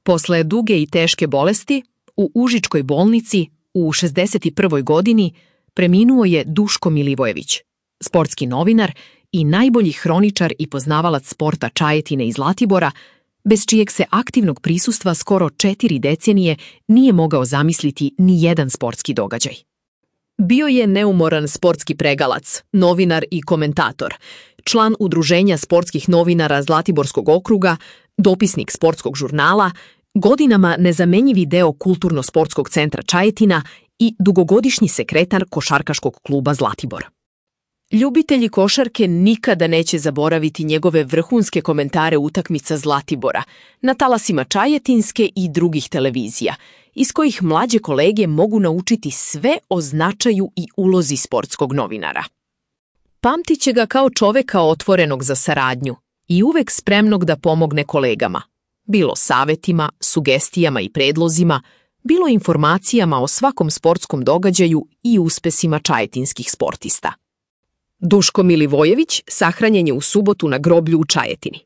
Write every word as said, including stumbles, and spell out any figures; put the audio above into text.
Posle duge i teške bolesti, u Užičkoj bolnici u šezdeset prvoj godini preminuo je Duško Milivojević, sportski novinar i najbolji hroničar i poznavalac sporta Čajetine i Zlatibora, bez čijeg se aktivnog prisustva skoro četiri decenije nije mogao zamisliti ni jedan sportski događaj. Bio je neumoran sportski pregalac, novinar i komentator, član Udruženja sportskih novinara Zlatiborskog okruga, dopisnik sportskog žurnala, godinama nezamenjivi deo Kulturno-sportskog centra Čajetina i dugogodišnji sekretar Košarkaškog kluba Zlatibor. Ljubitelji košarke nikada neće zaboraviti njegove vrhunske komentare utakmica Zlatibora na talasima Čajetinske i drugih televizija, iz kojih mlađe kolege mogu naučiti sve o značaju i ulozi sportskog novinara. Pamtit će ga kao čoveka otvorenog za saradnju i uvek spremnog da pomogne kolegama, bilo savetima, sugestijama i predlozima, bilo informacijama o svakom sportskom događaju i uspesima čajetinskih sportista. Duško Milivojević sahranjen je u subotu na groblju u Čajetini.